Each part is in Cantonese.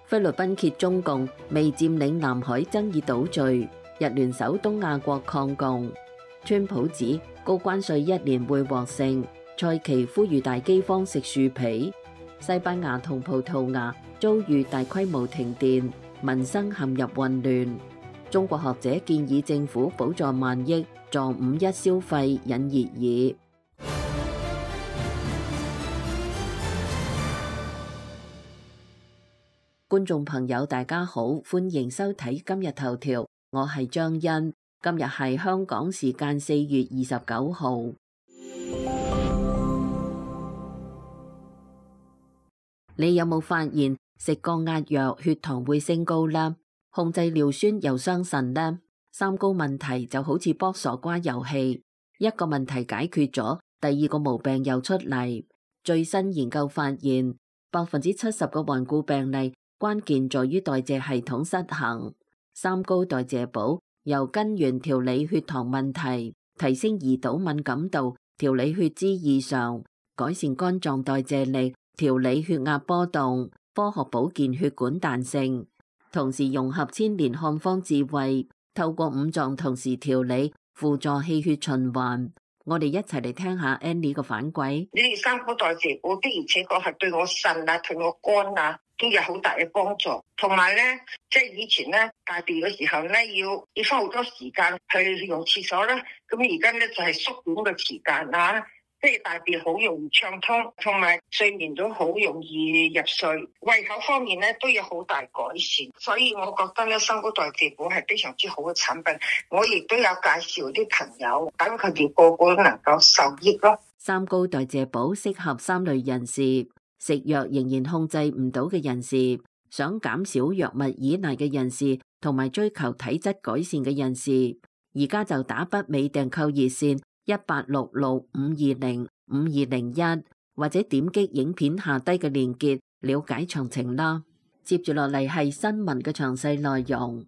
菲律賓揭中共未佔領南海爭議島嶼，日聯手東亞國抗共。川普指高關稅1年會獲勝，蔡奇呼籲大饑荒食樹皮。西班牙同葡萄牙遭遇大規模停電，民生陷入混亂。中國學者建議政府補助萬億助5·1消費引熱議。觀眾朋友大家好，歡迎收睇今日頭條，我係張欣。今日係香港時間4月29號。你有冇發現食降壓藥血糖會升高呢？控制尿酸又傷腎呢？三高問題就好似卜傻瓜遊戲，一個問題解決咗，第二個毛病又出嚟。最新研究發現，70%嘅頑固病例關鍵在於代謝系統失衡。三高代謝補由根源調理血糖問題，提升胰島敏感度，調理血脂異常，改善肝臟代謝力，調理血壓波動，科學保健血管彈性，同時融合千年漢方智慧，透過五臟同時調理，輔助氣血循環。我哋一齊嚟聽下 Annie 嘅反饋。呢啲三高代謝補的而且確係對我腎啊、對我肝啊都有好大嘅幫助。同埋咧，即係以前咧大便嘅時候咧，要花好多時間去用廁所啦。咁而家咧就係縮短嘅時間啊。即係大便好容易暢通，同埋睡眠都好容易入睡，胃口方面咧都有好大改善，所以我覺得咧三高代謝補係非常之好嘅產品。我亦都有介紹啲朋友，等佢哋個個都能夠受益咯。三高代謝補適合3類人士：食藥仍然控制唔到嘅人士，想減少藥物依賴嘅人士，同埋追求體質改善嘅人士。而家就打北美訂購熱線1866-520-5201，或者點擊影片下低嘅鏈接了解詳情啦。接住落嚟係新聞嘅詳細內容。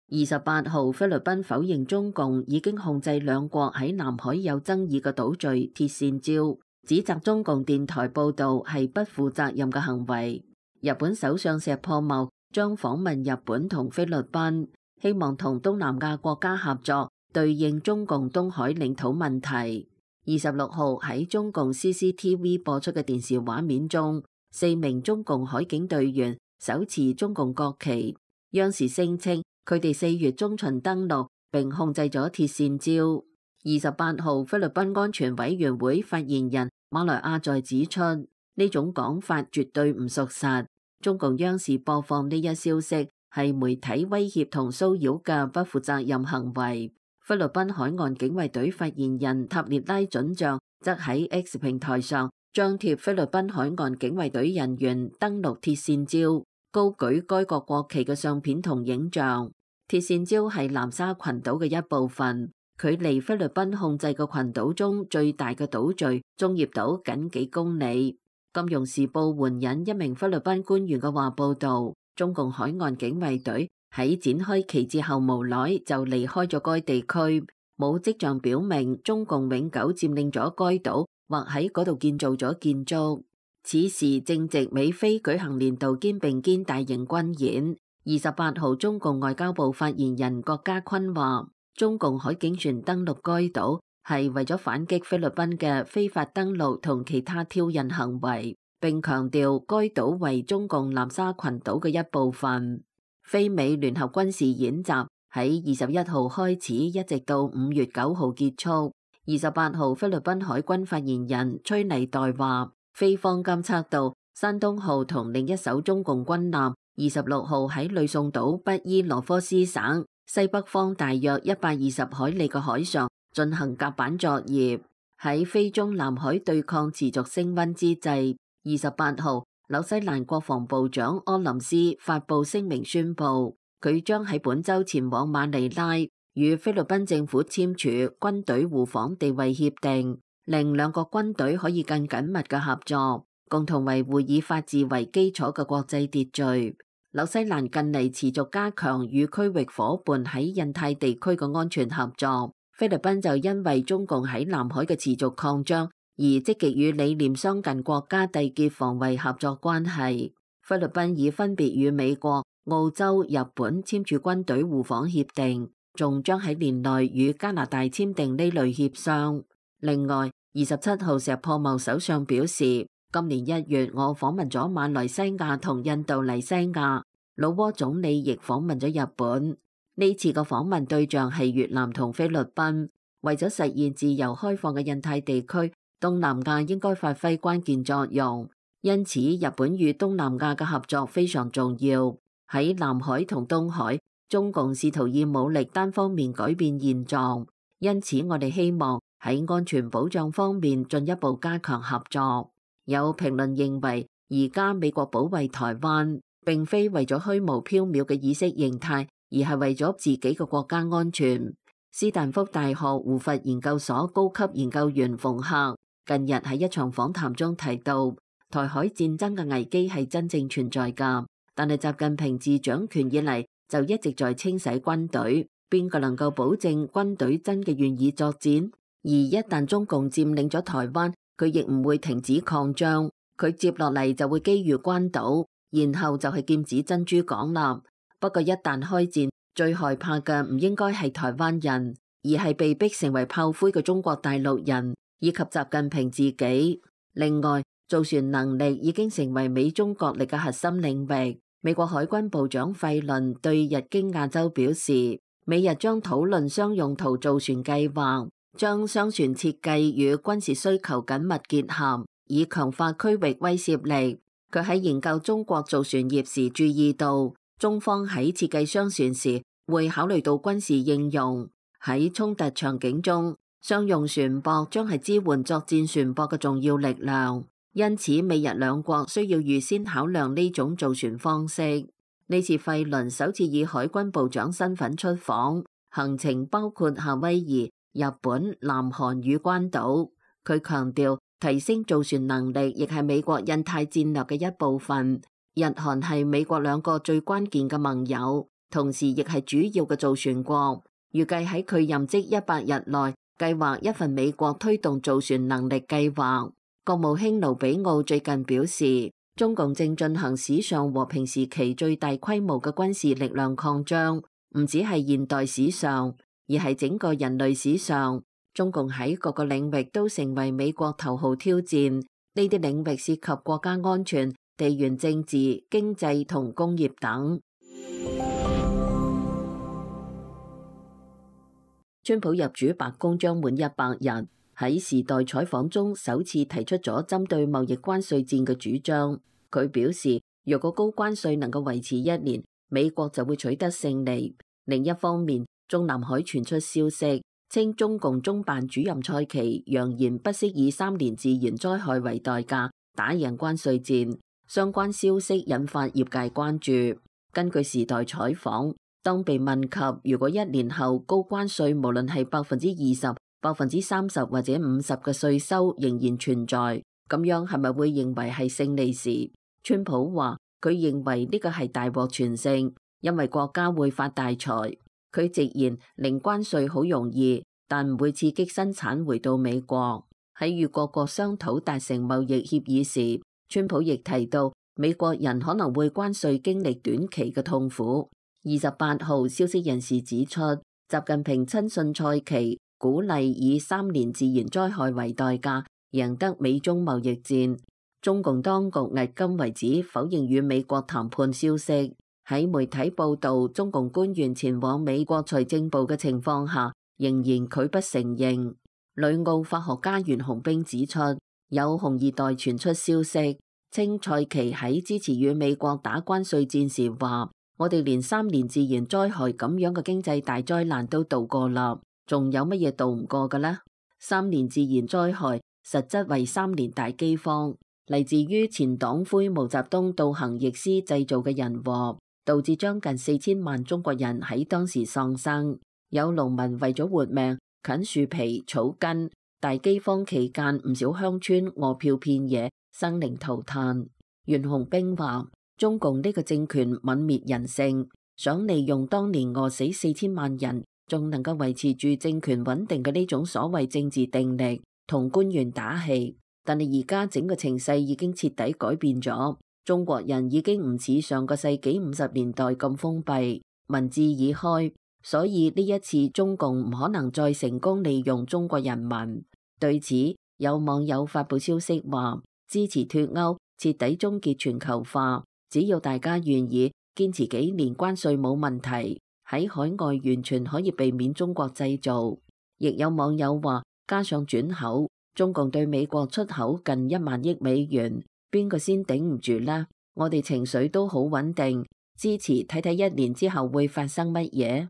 28號，菲律賓否認中共已經控制兩國喺南海有爭議嘅島嶼鐵線礁，指責中共電台報導係不負責任嘅行為。日本首相石破茂將訪問日本同菲律賓，希望同東南亞國家合作對應中共東海領土問題。26號喺中共 CCTV 播出嘅電視畫面中，4名中共海警隊員手持中共國旗。央視聲稱佢哋4月中旬登陸並控制咗鐵線礁。28號，菲律賓安全委員會發言人馬來亞在指出，呢種講法絕對唔屬實。中共央視播放呢一消息係媒體威脅同騷擾嘅不負責任行為。菲律賓海岸警衛隊發言人塔列拉准將則喺 X 平台上張貼菲律賓海岸警衛隊人員登陸鐵線礁，高舉該國國旗嘅相片同影像。鐵線礁係南沙群島嘅一部分，距離菲律賓控制嘅群島中最大嘅島嶼中業島僅幾公里。金融時報援引一名菲律賓官員嘅話報道，中共海岸警衛隊喺展開旗幟後無耐就離開咗該地區，冇跡象表明中共永久佔領咗該島或喺嗰度建造咗建築。此時正值美菲舉行年度肩並肩大型軍演。28號，中共外交部發言人郭家坤話，中共海警船登陸該島係為咗反擊菲律賓嘅非法登陸同其他挑釁行為，並強調該島為中共南沙群島嘅一部分。菲美聯合軍事演習喺21號開始，一直到5月9號結束。28號，菲律賓海軍發言人崔尼代話，菲方監測到山東號同另一艘中共軍艦26號喺呂宋島北伊羅科斯省西北方大約120海里嘅海上進行甲板作業。喺菲中南海對抗持續升溫之際，28號，紐西蘭國防部長柯林斯發布聲明宣布，佢將喺本週前往馬尼拉，與菲律賓政府簽署軍隊互訪地位協定，令兩國軍隊可以更緊密嘅合作，共同維護以法治為基礎嘅國際秩序。紐西蘭近嚟持續加強與區域夥伴喺印太地區嘅安全合作。菲律賓就因為中共喺南海嘅持續擴張而積極與理念相近國家締結防衛合作關係。菲律賓已分別與美國、澳洲、日本簽署軍隊互訪協定，仲將喺年內與加拿大簽訂呢類協商。另外，27號石破茂首相表示，今年1月我訪問咗馬來西亞同印度尼西亞，老撾總理亦訪問咗日本。呢次個訪問對象係越南同菲律賓。為咗實現自由開放嘅印太地區，東南亞應該發揮關鍵作用。因此，日本與東南亞嘅合作非常重要。喺南海同東海，中共試圖以武力單方面改變現狀。因此，我哋希望喺安全保障方面進一步加強合作。有評論認為，而家美國保衛台灣並非為咗虛無縹緲嘅意識形態，而係為咗自己嘅國家安全。斯坦福大學胡佛研究所高級研究員馮克近日喺一場訪談中提到，台海戰爭嘅危機係真正存在㗎，但係習近平自掌權以嚟就一直在清洗軍隊，邊個能夠保證軍隊真嘅願意作戰？而一旦中共佔領咗台灣，佢亦唔會停止擴張，佢接落嚟就會基於關島，然後就係劍指珍珠港啦。不過一旦開戰，最害怕嘅唔應該係台灣人，而係被逼成為炮灰嘅中國大陸人以及習近平自己。另外，造船能力已經成為美中角力嘅核心領域。美國海軍部長費倫對日經亞洲表示，美日將討論商用途造船計劃，將商船設計與軍事需求緊密結合，以強化區域威懾力。佢喺研究中國造船業時注意到，中方喺設計商船時會考慮到軍事應用。喺衝突場景中，商用船舶將係支援作戰船舶嘅重要力量。因此，美日兩國需要預先考量呢種造船方式。呢次費倫首次以海軍部長身份出訪，行程包括夏威夷、日本、南韓與關島。佢強調，提升造船能力亦係美國印太戰略嘅一部分。日韓係美國兩個最關鍵嘅盟友，同時亦係主要嘅造船國。預計喺佢任職100日內，計劃一份美國推動造船能力計劃。國務卿盧比奧最近表示，中共正進行史上和平時期最大規模嘅軍事力量擴張，唔只係現代史上，而係整個人類史上。中共喺各個領域都成為美國頭號挑戰，呢啲領域涉及國家安全、地緣政治、經濟同工業等。川普入主白宮將滿100日。喺時代採訪中首次提出咗針對貿易關稅戰嘅主張。佢表示，若果高關稅能夠維持1年，美國就會取得勝利。另一方面，中南海傳出消息，稱中共中辦主任蔡奇揚言不惜以3年自然災害為代價打贏關稅戰。相關消息引發業界關注。根據時代採訪，當被問及如果1年後高關稅無論係20%、30%或者50%嘅稅收仍然存在，咁樣係咪會認為係勝利時，川普話佢認為呢個係大獲全勝，因為國家會發大財。佢直言零關稅好容易，但唔會刺激生產回到美國。喺與各國商討達成貿易協議時，川普亦提到美國人可能會關稅經歷短期嘅痛苦。28號消息人士指出，習近平親信蔡奇，鼓勵以3年自然災害為代價贏得美中貿易戰。中共當局迄今為止否認與美國談判消息。喺媒體報道中共官員前往美國財政部嘅情況下，仍然拒不承認。旅澳法學家袁洪兵指出，有紅二代傳出消息，稱蔡奇喺支持與美國打關稅戰時話：我哋連3年自然災害咁樣嘅經濟大災難都渡過啦。仲有乜嘢渡唔過嘅呢？3年自然災害實質為3年大饑荒，嚟自於前黨魁毛澤東倒行逆施製造嘅人禍，導致將近4000萬中國人喺當時喪生。有農民為咗活命啃樹皮草根，大饑荒期間唔少鄉村餓殍遍野，生靈塗炭。袁洪兵話：中共呢個政權泯滅人性，想利用當年餓死4000萬人，仲能夠維持住政權穩定嘅呢種所謂政治定力，同官員打氣。但係而家整個情勢已經徹底改變咗，中國人已經唔似上個世紀50年代咁封閉，民智已開，所以呢一次中共唔可能再成功利用中國人民。對此，有網友發布消息話，支持脫歐，徹底終結全球化，只要大家願意堅持幾年關稅冇問題，喺海外完全可以避免中國製造。亦有網友話，加上轉口，中共對美國出口近1萬億美元，邊個先頂唔住呢？我哋情緒都好穩定，支持睇睇1年之後會發生乜嘢。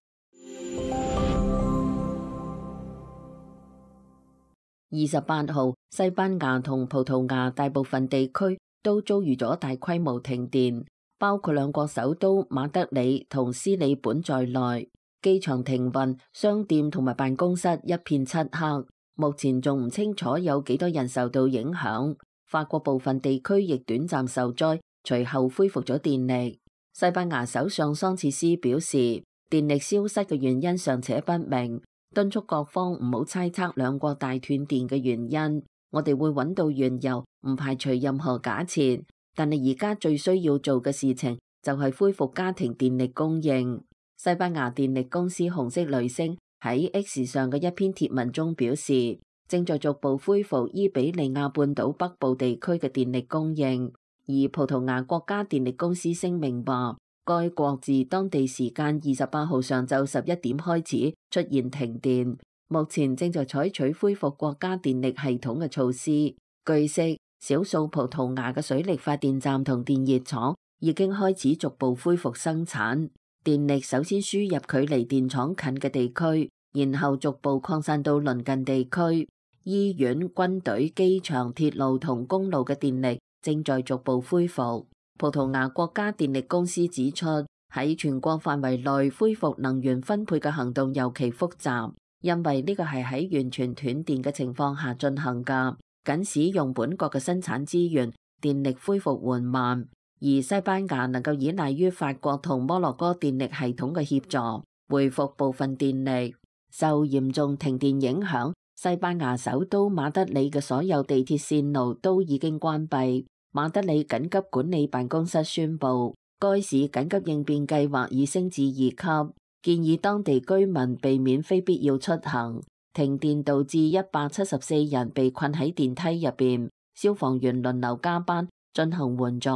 28號，西班牙同葡萄牙大部分地區都遭遇咗大規模停電，包括兩國首都馬德里同斯里本在內，機場停運，商店同埋辦公室一片漆黑。目前仲唔清楚有幾多人受到影響。法國部分地區亦短暫受災，隨後恢復咗電力。西班牙首相桑切斯表示，電力消失嘅原因尚且不明，敦促各方唔好猜測兩國大斷電嘅原因。我哋會揾到緣由，唔排除任何假設。但係而家最需要做嘅事情就係恢復家庭電力供應。西班牙電力公司紅色雷聲喺 X 上嘅一篇貼文中表示，正在逐步恢復伊比利亞半島北部地區嘅電力供應。而葡萄牙國家電力公司聲明話，該國自當地時間28號上晝11點開始出現停電，目前正在採取恢復國家電力系統嘅措施。據悉，少數葡萄牙嘅水力發電站同電熱廠已經開始逐步恢復生產。電力首先輸入距離電廠近嘅地區，然後逐步擴散到鄰近地區。醫院、軍隊、機場、鐵路同公路嘅電力正在逐步恢復。葡萄牙國家電力公司指出，喺全國範圍內恢復能源分配嘅行動尤其複雜，因為呢個係喺完全斷電嘅情況下進行㗎。僅使用本國嘅生產資源，電力恢復緩慢。而西班牙能夠依賴於法國同摩洛哥電力系統嘅協助，恢復部分電力。受嚴重停電影響，西班牙首都馬德里嘅所有地鐵線路都已經關閉。馬德里緊急管理辦公室宣布，該市緊急應變計劃已升至2級，建議當地居民避免非必要出行。停電導致174人被困喺電梯入邊，消防員輪流加班進行援助。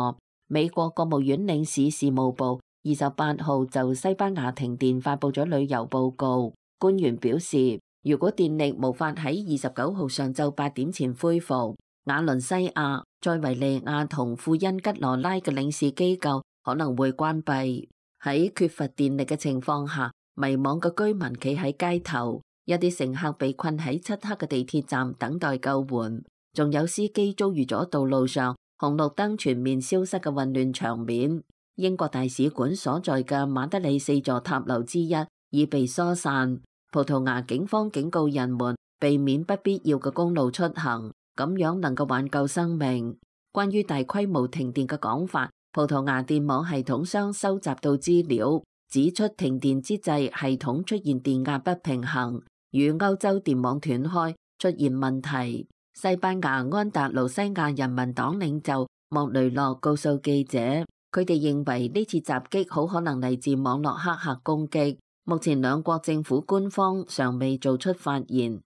美國國務院領事事務部28號就西班牙停電發布咗旅遊報告。官員表示，如果電力無法喺29號上晝8點前恢復，瓦倫西亞、塞維利亞同庫恩吉羅拉嘅領事機構可能會關閉。喺缺乏電力嘅情況下，迷茫嘅居民企喺街頭，一啲乘客被困喺漆黑嘅地鐵站等待救援，仲有司機遭遇咗道路上紅綠燈全面消失嘅混亂場面。英國大使館所在嘅馬德里4座塔樓之一已被疏散。葡萄牙警方警告人們避免不必要嘅公路出行，咁樣能夠挽救生命。關於大規模停電嘅講法，葡萄牙電網系統商收集到資料，指出停電之際系統出現電壓不平衡，與歐洲電網斷開出現問題。西班牙安達盧西亞人民黨領袖莫雷諾告訴記者，佢哋認為呢次襲擊好可能嚟自網絡黑客攻擊。目前兩國政府官方尚未做出發言。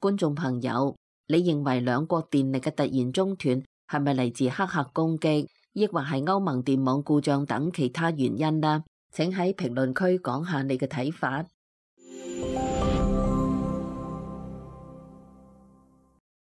觀眾朋友，你認為兩國電力嘅突然中斷係咪嚟自黑客攻擊，抑或係歐盟電網故障等其他原因呢？請喺評論區講下你嘅睇法。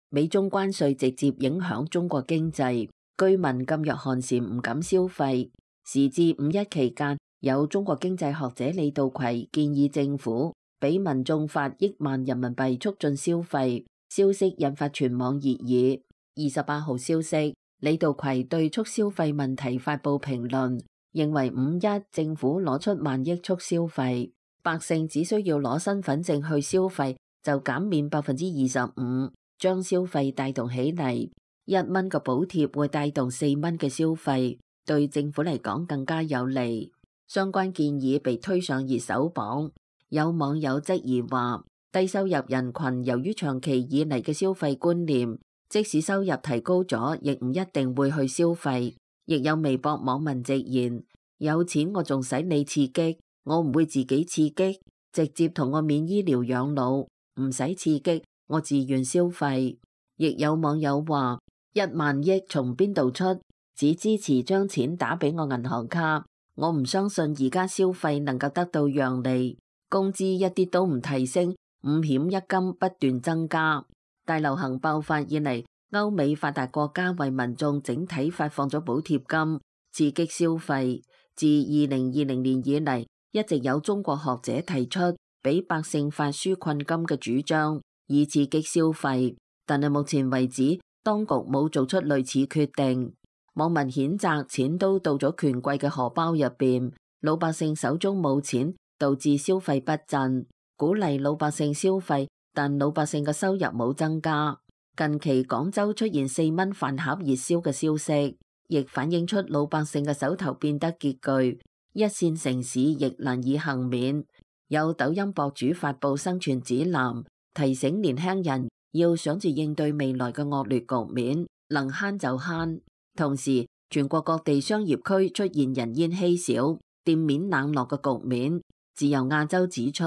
美中關稅直接影響中國經濟，居民噤若寒蟬唔敢消費。時至5·1期間，有中國經濟學者李稻葵建議政府俾民眾發億萬人民幣促進消費，消息引發全網熱議。28號消息，李稻葵對促消費問題發布評論，認為5·1政府攞出萬億促消費，百姓只需要攞身份證去消費就減免25%，將消費帶動起嚟。1蚊嘅補貼會帶動4蚊嘅消費，對政府嚟講更加有利。相關建議被推上熱搜榜，有網友質疑話，低收入人群由於長期以嚟嘅消費觀念，即使收入提高咗，亦唔一定會去消費。亦有微博網民直言：有錢我仲使你刺激，我唔會自己刺激，直接同我免醫療養老，唔使刺激，我自願消費。亦有網友話：1萬億從邊度出？只支持將錢打俾我銀行卡，我唔相信而家消費能夠得到讓利，工資一啲都唔提升，5險1金不斷增加。大流行爆發以嚟，歐美發達國家為民眾整體發放咗補貼金，刺激消費。自2020年以嚟，一直有中國學者提出俾百姓發紓困金嘅主張，以刺激消費。但係目前為止，當局冇做出類似決定。網民譴責錢都到咗權貴嘅荷包入邊，老百姓手中冇錢，導致消費不振。鼓勵老百姓消費，但老百姓嘅收入冇增加。近期廣州出現4蚊飯盒熱銷嘅消息，亦反映出老百姓嘅手頭變得拮據，一線城市亦難以幸免。有抖音博主發布生存指南，提醒年輕人要想住應對未來嘅惡劣局面，能慳就慳。同時，全國各地商業區出現人煙稀少、店面冷落嘅局面。自由亞洲指出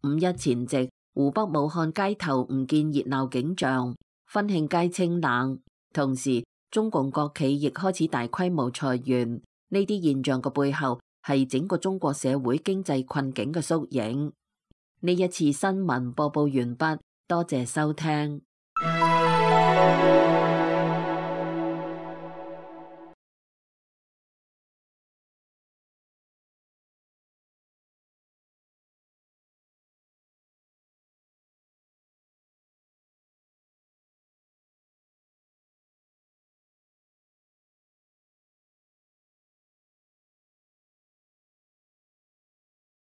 ，5·1前夕，湖北武漢街頭唔見熱鬧景象，婚慶街清冷。同時，中共國企亦開始大規模裁員。呢啲現象嘅背後係整個中國社會經濟困境嘅縮影。呢一次新聞播報完畢，多謝收聽。